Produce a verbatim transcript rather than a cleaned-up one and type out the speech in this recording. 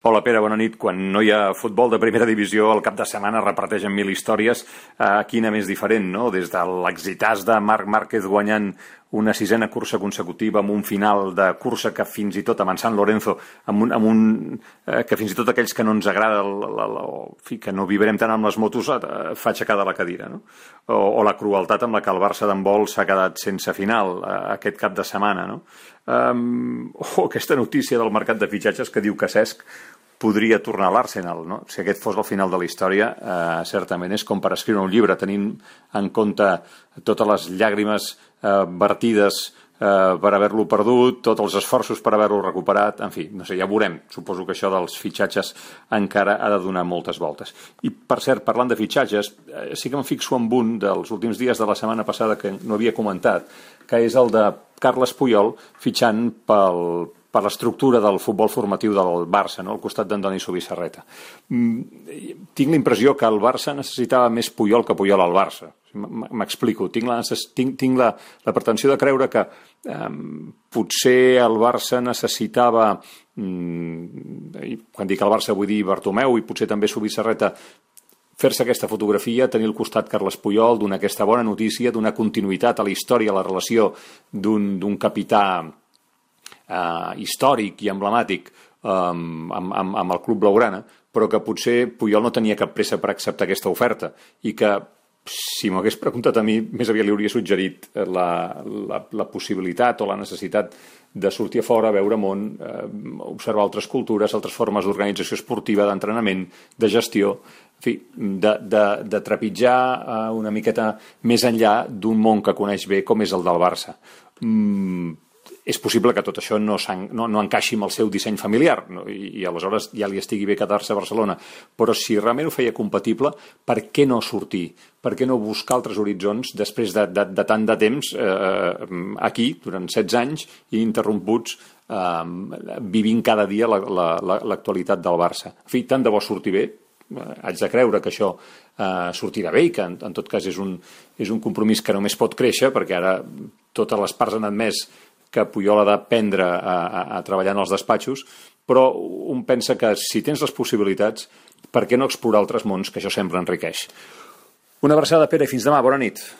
Hola Pere, bona nit. Quan no hi ha futbol de primera divisió, el cap de setmana reparteixen mil històries. Eh, quina més diferent, no? Des de l'exitàs de Marc Márquez guanyant una sisena cursa consecutiva amb un final de cursa que fins i tot amb en San Lorenzo, amb un, amb un, eh, que fins i tot aquells que no ens agrada, el, el, el, el, que no vibrem tant amb les motos, eh, fa aixecar de la cadira, no? O, o la crueltat amb la que el Barça d'handbol s'ha quedat sense final eh, aquest cap de setmana, no? Um, o aquesta notícia del mercat de fitxatges que diu que Cesc podria tornar a l'Arsenal, no? Si aquest fos el final de la història, eh, certament és com per escriure un llibre, tenint en compte totes les llàgrimes eh, vertides eh, per haver-lo perdut, tots els esforços per haver-lo recuperat, en fi, no sé, ja veurem. Suposo que això dels fitxatges encara ha de donar moltes voltes. I, per cert, parlant de fitxatges, eh, sí que em fixo en un dels últims dies de la setmana passada que no havia comentat, que és el de Carles Puyol fitxant pel per l'estructura del futbol formatiu del Barça, no? Al costat d'Andoni Zubizarreta. Mm, tinc la impressió que el Barça necessitava més Puyol que Puyol al Barça. M'explico. Tinc, la, tinc, tinc la, la pretensió de creure que eh, potser el Barça necessitava, mm, quan dic el Barça vull dir Bartomeu i potser també Zubizarreta, fer-se aquesta fotografia, tenir al costat Carles Puyol, donar aquesta bona notícia, donar continuïtat a la història, a la relació d'un capità Uh, històric i emblemàtic um, amb, amb, amb el club blaugrana, però que potser Puyol no tenia cap pressa per acceptar aquesta oferta i que, si m'ho hagués preguntat a mi, més aviat li hauria suggerit la, la, la possibilitat o la necessitat de sortir a fora, veure món, eh, observar altres cultures, altres formes d'organització esportiva, d'entrenament, de gestió, en fi, de, de, de trepitjar eh, una miqueta més enllà d'un món que coneix bé com és el del Barça. Mm, és possible que tot això no, no, no encaixi amb el seu disseny familiar, no? I, i aleshores ja li estigui bé quedar-se a Barcelona, però si realment ho feia compatible, per què no sortir? Per què no buscar altres horitzons després de, de, de tant de temps eh, aquí, durant setze anys, i interromputs, eh, vivint cada dia l'actualitat la, la, del Barça? En fi, tant de bo sortir bé, haig de creure que això eh, sortirà bé i que en, en tot cas és un, és un compromís que només pot créixer, perquè ara totes les parts han admès que Puyol ha d'aprendre a, a, a treballar en els despatxos, però un pensa que si tens les possibilitats, per què no explorar altres mons, que això sempre enriqueix. Una abraçada, Pere, i fins demà. Bona nit.